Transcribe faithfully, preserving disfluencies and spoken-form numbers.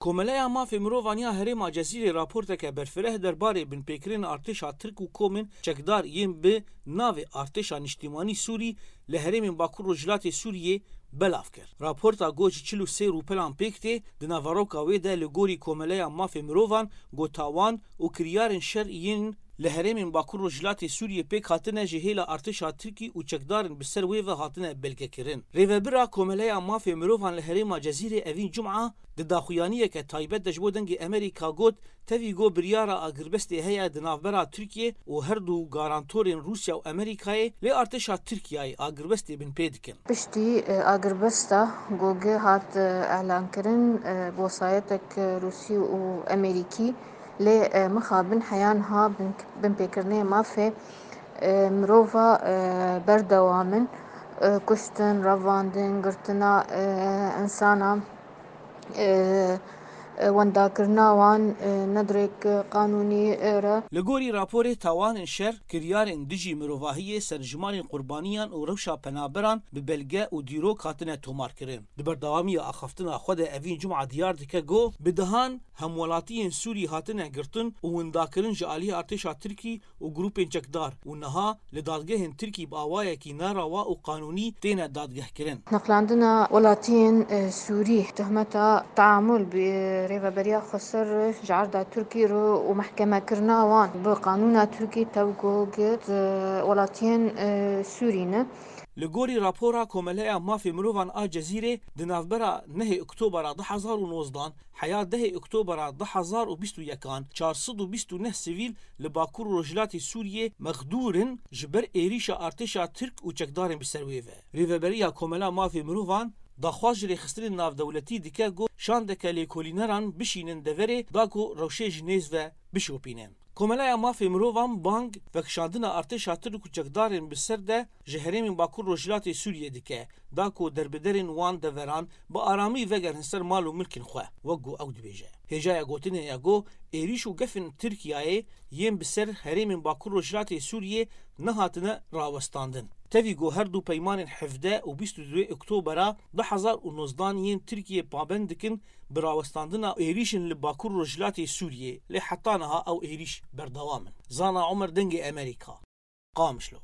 Komeleya Mafê Mirovan ya Herêma Cezîrê raporteke berfireh derbarê binpêkirin artêşa Tirk û komên çekdar yên bi navê Artêşa Niştîmanî Sûrî li herêmên Bakur Rojhilatê Sûriyê belav kir. Raporta ku ji çil û sê rûpelan pêk tê, di naveroka wê de li gorî Komeleya Mafê Mirovan ku tawan û kiryarên şer yên li herêmên Bakur Rojhilatê Sûriyê pêk hatine ji hêla artêşa Tirkî û çekdarên bi ser wê ve hatine belgekirin. Rêvebira Komeleya Mafê Mirovan li herêma Cezîrê evîn cuma di daxuyaniyeke taybet de ji bo Dengê Amerîka got, tevî got biryara agirbestê heye di navbera Tirkiyê û her du garantorên Rûsya û Amerîkayê lê artêşa Tirkiyeyê agirbestê bin pê dikin. Piştî, e, agirbesta ku gi hat, e, elankirin, e, bi wesayetek, e, Rûsî û Amerîkî, lê, e, mixabin heya niha bin, binpêkirinê mafê, e, mirova, e, berdewam in, e, kuştin, revandin, girtina, e, insana, e, e, wendakirina wan, e, ne dirêk qanûnî, e, re. Li gorî raporê tawanên şer, kiryarên dijî mirovahiyê, serjimanên qurbaniyan û rewşa penaberan bi belge û dîrok hatine tomarkirin. Di berdewamiya axaftina xwe de evîn cuma diyar dike ku bi dehan hemwelatiyên Sûrî hatine girtin û windakirin ji aliyê artêşa Tirkî û grûpên çekdar û niha li dadgehên Tirkî bi awayekî nerawa û qanûnî têne dadgehkirin. Neqlandina welatiyên, e, Sûrî, tohmeta teamul bi Rêveberiya Xweser ji erda Tirkî re û mehkemekirina wan bi qanûna Tirkî tevgo gi, e, welatiyên, e, Sûrî ne. Li gorî rapora Komeleya Mafê Mirovan a Cezîrê, di navbera nehê Oktobera du hezar û nozdan heya dehê Oktobera du hezar û bîst û yekan çar sed û bîst û neh sivîl li Bakur û Rojhilatê Sûriyê mexdûr in ji ber êrîşa artêşa Tirk û çekdarên bi ser wê ve. Rêveberiya Komela Mafê Mirovan daxwaz ji rêxistinên navdewletî dike ku şandeke lêkolîneran bişînin deverê da ku rewşê ji nêz ve bişopînin. Komeleya Mafê Mirovan bang vekişandina artêşa Tirk û çekdarên bi ser de ji herêmên Bakur Rojhilatê Sûriyê dike, da ku derbiderên wan deveran bi aramî vegerin ser mal û milkên xwe, wek ku ew dibêje. Hêjaya gotinê ye ku êrîş û gefên Tirkiyeyê yên bi ser herêmên Bakur Rojhilatê Sûriyê nehatine rawestandin. Tevî ku her du peymanên hevdeh û bîst û duyê Oktobera du hezar û nozdan yên Tirkiyê pabend dikin bi rawestandina êrîşên li Bakur Rojhilatê Sûriyê, lê heta niha ew êrîş berdewam in. Zana Omer, Dengê Amerîka, Qamişlo.